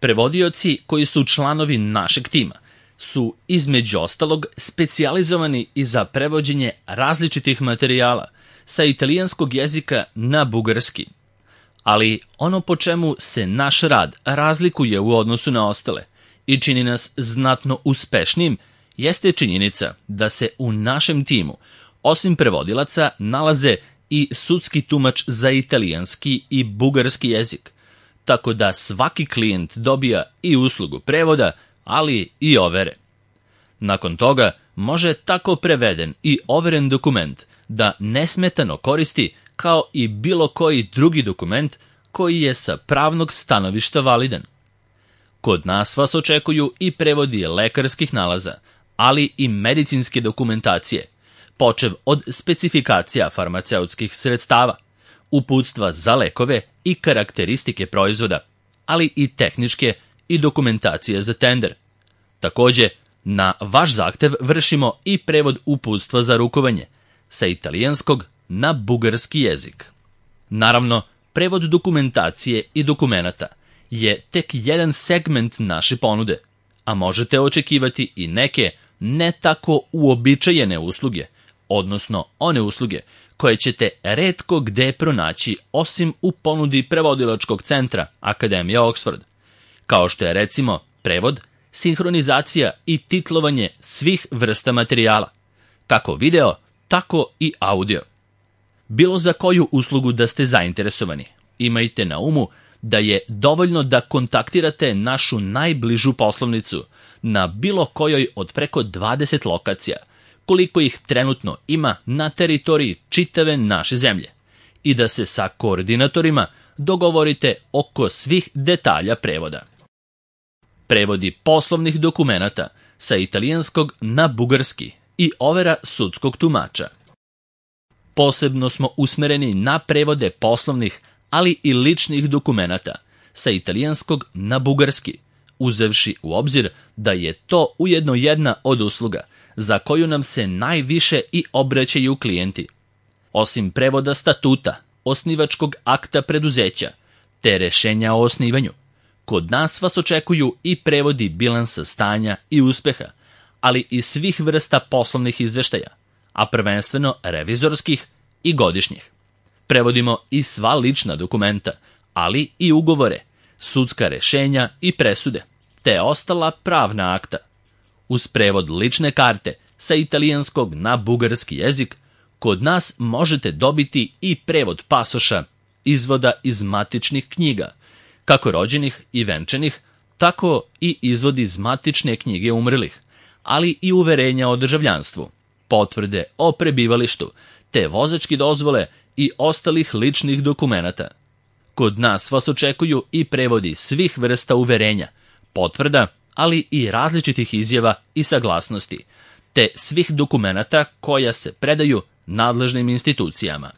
Prevodioci koji su članovi našeg tima su, između ostalog, specijalizovani i za prevođenje različitih materijala sa italijanskog jezika na bugarski. Ali ono po čemu se naš rad razlikuje u odnosu na ostale i čini nas znatno uspešnim jeste činjenica da se u našem timu, osim prevodilaca, nalaze i sudski tumač za italijanski i bugarski jezik, tako da svaki klijent dobija i uslugu prevoda, ali i overe. Nakon toga može tako preveden i overen dokument da nesmetano koristi kao i bilo koji drugi dokument koji je sa pravnog stanovišta validan. Kod nas vas očekuju i prevodi lekarskih nalaza, ali i medicinske dokumentacije, počev od specifikacija farmaceutskih sredstava, uputstva za lekove i karakteristike proizvoda, ali i tehničke i dokumentacije za tender. Takođe, na vaš zahtev vršimo i prevod uputstva za rukovanje sa italijanskog na bugarski jezik. Naravno, prevod dokumentacije i dokumenata je tek jedan segment naše ponude, a možete očekivati i neke ne tako uobičajene usluge, odnosno one usluge koje ćete retko gde pronaći osim u ponudi prevodilačkog centra Akademija Oxford, kao što je recimo prevod, sinhronizacija i titlovanje svih vrsta materijala, kako video, tako i audio. Bilo za koju uslugu da ste zainteresovani, imajte na umu da je dovoljno da kontaktirate našu najbližu poslovnicu na bilo kojoj od preko 20 lokacija, koliko ih trenutno ima na teritoriji čitave naše zemlje, i da se sa koordinatorima dogovorite oko svih detalja prevoda. Prevodi poslovnih dokumenata sa italijanskog na bugarski i overa sudskog tumača. Posebno smo usmereni na prevode poslovnih, ali i ličnih dokumenata sa italijanskog na bugarski, uzevši u obzir da je to ujedno jedna od usluga za koju nam se najviše i obraćaju klijenti. Osim prevoda statuta, osnivačkog akta preduzeća, te rešenja o osnivanju, kod nas vas očekuju i prevodi bilansa stanja i uspeha, ali i svih vrsta poslovnih izveštaja, a prvenstveno revizorskih i godišnjih. Prevodimo i sva lična dokumenta, ali i ugovore, sudska rešenja i presude, te ostala pravna akta. Uz prevod lične karte sa italijanskog na bugarski jezik, kod nas možete dobiti i prevod pasoša, izvoda iz matičnih knjiga, kako rođenih i venčanih, tako i izvod iz matične knjige umrlih, ali i uverenja o državljanstvu, potvrde o prebivalištu, te vozačke dozvole i ostalih ličnih dokumenata. Kod nas vas očekuju i prevodi svih vrsta uverenja, potvrda, ali i različitih izjava i saglasnosti, te svih dokumenata koja se predaju nadležnim institucijama.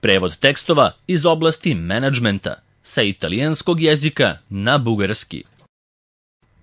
Prevod tekstova iz oblasti menadžmenta sa italijanskog jezika na bugarski.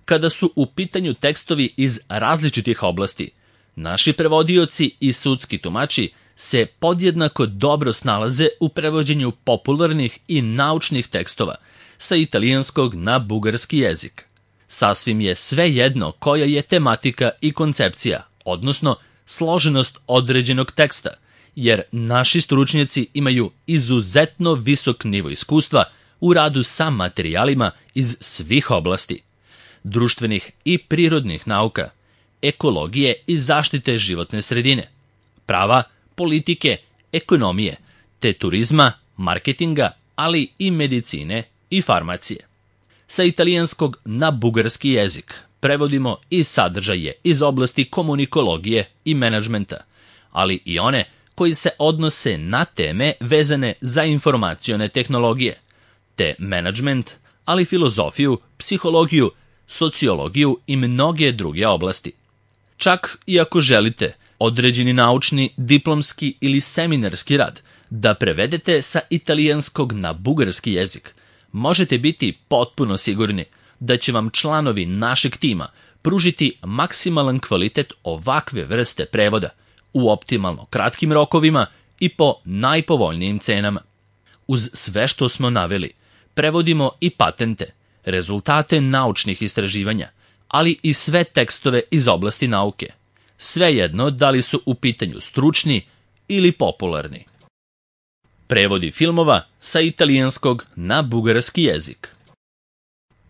Kada su u pitanju tekstovi iz različitih oblasti, naši prevodioci i sudski tumači se podjednako dobro snalaze u prevođenju popularnih i naučnih tekstova sa italijanskog na bugarski jezik. Sasvim je svejedno koja je tematika i koncepcija, odnosno složenost određenog teksta, jer naši stručnjaci imaju izuzetno visok nivo iskustva u radu sa materijalima iz svih oblasti, društvenih i prirodnih nauka, ekologije i zaštite životne sredine, prava, politike, ekonomije, te turizma, marketinga, ali i medicine i farmacije. Sa italijanskog na bugarski jezik prevodimo i sadržaje iz oblasti komunikologije i menadžmenta, ali i one koji se odnose na teme vezane za informacione tehnologije, te menadžment, ali filozofiju, psihologiju, sociologiju i mnoge druge oblasti. Čak i ako želite određeni naučni, diplomski ili seminarski rad da prevedete sa italijanskog na bugarski jezik, možete biti potpuno sigurni da će vam članovi našeg tima pružiti maksimalan kvalitet ovakve vrste prevoda u optimalno kratkim rokovima i po najpovoljnijim cenama. Uz sve što smo naveli, prevodimo i patente, rezultate naučnih istraživanja, ali i sve tekstove iz oblasti nauke. Svejedno da li su u pitanju stručni ili popularni. Prevodi filmova sa italijanskog na bugarski jezik.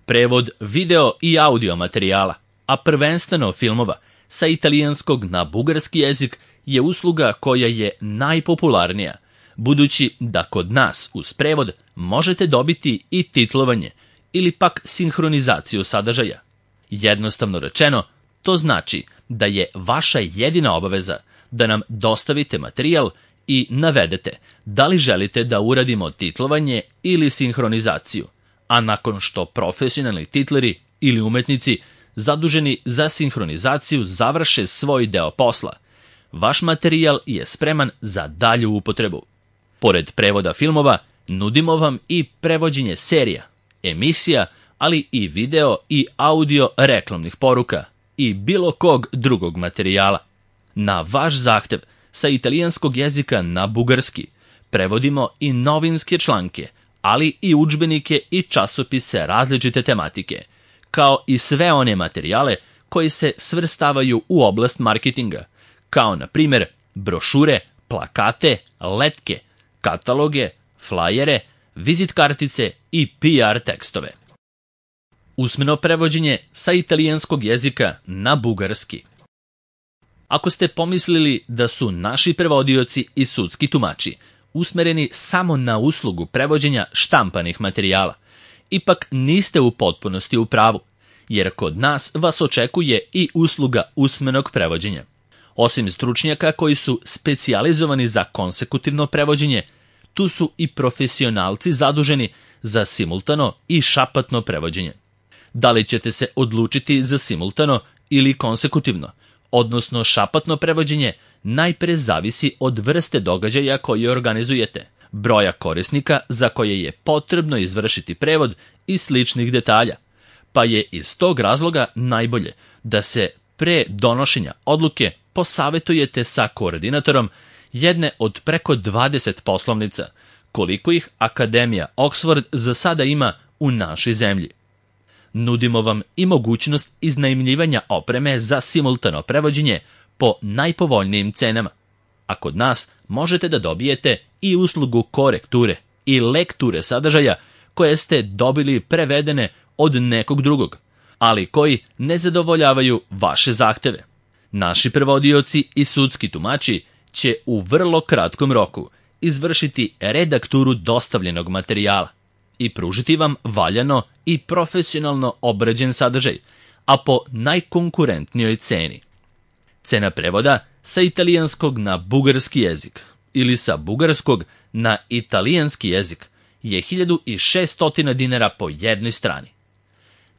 Prevod video i audio materijala, a prvenstveno filmova, sa italijanskog na bugarski jezik je usluga koja je najpopularnija, budući da kod nas uz prevod možete dobiti i titlovanje ili pak sinhronizaciju sadržaja. Jednostavno rečeno, to znači da je vaša jedina obaveza da nam dostavite materijal i navedete da li želite da uradimo titlovanje ili sinhronizaciju, a nakon što profesionalni titleri ili umetnici zaduženi za sinhronizaciju završe svoj deo posla, vaš materijal je spreman za dalju upotrebu. Pored prevoda filmova, nudimo vam i prevođenje serija, emisija, ali i video i audio reklamnih poruka i bilo kog drugog materijala. Na vaš zahtev, sa italijanskog jezika na bugarski, prevodimo i novinske članke, ali i udžbenike i časopise različite tematike, kao i sve one materijale koji se svrstavaju u oblast marketinga, kao na primjer brošure, plakate, letke, kataloge, flajere, vizit kartice i PR tekstove. Usmeno prevođenje sa italijanskog jezika na bugarski. Ako ste pomislili da su naši prevodioci i sudski tumači usmereni samo na uslugu prevođenja štampanih materijala, ipak niste u potpunosti u pravu, jer kod nas vas očekuje i usluga usmenog prevođenja. Osim stručnjaka koji su specijalizovani za konsekutivno prevođenje, tu su i profesionalci zaduženi za simultano i šapatno prevođenje. Da li ćete se odlučiti za simultano ili konsekutivno, odnosno šapatno prevođenje, najpre zavisi od vrste događaja koje organizujete, broja korisnika za koje je potrebno izvršiti prevod i sličnih detalja, pa je iz tog razloga najbolje da se pre donošenja odluke posavetujete sa koordinatorom jedne od preko 20 poslovnica, koliko ih Akademija Oxford za sada ima u našoj zemlji. Nudimo vam i mogućnost iznajmljivanja opreme za simultano prevođenje po najpovoljnijim cenama, a kod nas možete da dobijete i uslugu korekture i lekture sadržaja koje ste dobili prevedene od nekog drugog, ali koji ne zadovoljavaju vaše zahteve. Naši prevodioci i sudski tumači će u vrlo kratkom roku izvršiti redakturu dostavljenog materijala i pružiti vam valjano i profesionalno obrađen sadržaj, a po najkonkurentnijoj ceni. Cena prevoda sa italijanskog na bugarski jezik ili sa bugarskog na italijanski jezik je 1600 dinara po jednoj strani.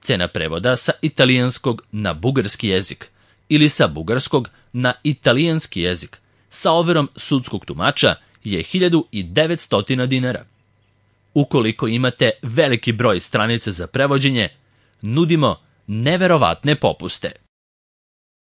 Cena prevoda sa italijanskog na bugarski jezik ili sa bugarskog na italijanski jezik sa overom sudskog tumača je 1900 dinara. Ukoliko imate veliki broj stranica za prevođenje, nudimo neverovatne popuste.